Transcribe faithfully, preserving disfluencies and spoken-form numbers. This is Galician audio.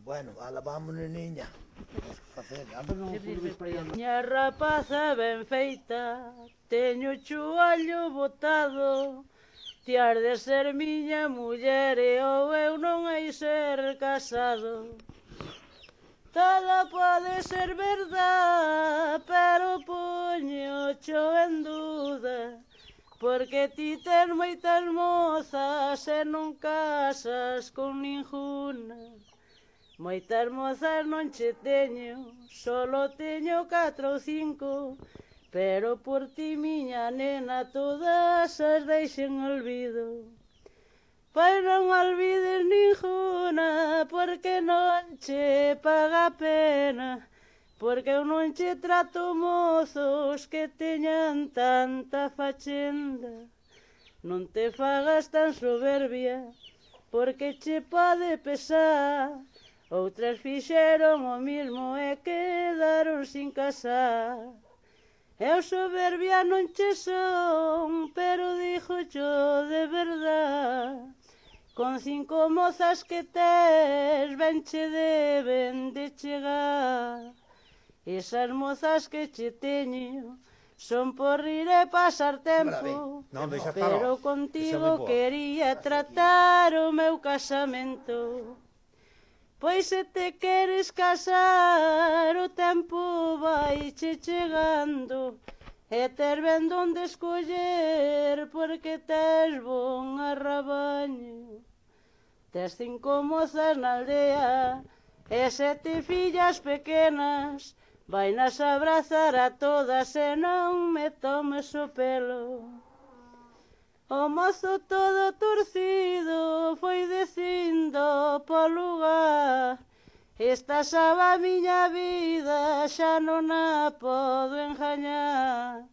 Bueno, ala, vámonos, niña. Miña rapaza ben feita, teño o chuallo botado. Ti has de ser miña muller e ou eu non hei ser casado. Todo pode ser verdad, pero poñocho en duda, porque ti tes moitas mozas e non casas con ninguna. Moitas mozas non che teño, solo teño catro ou cinco, pero por ti, miña nena, todas as deixen olvido. Pois non olvides ninguna, porque non che paga pena, porque eu non che trato mozos que teñan tanta fachenda. Non te fagas tan soberbia, porque che pode pesar. Outras fixeron o mismo e quedaron sin casar. Eu soberbia non che son, pero dixo yo de verdad. Con cinco mozas que tes, ben che deben de chegar. Esas mozas que che teño son por rir e pasar tempo, pero contigo quería tratar o meu casamento. Pois se te queres casar, o tempo vai che chegando, e tes ben donde escoller, porque tes bon arrabaño. Tes cinco mozas na aldea e sete fillas pequenas, vainas abrazar a todas e non me tomes o pelo. O mozo todo torcido foi dicindo po lugar: esta sabe a miña vida, xa non a podo engañar.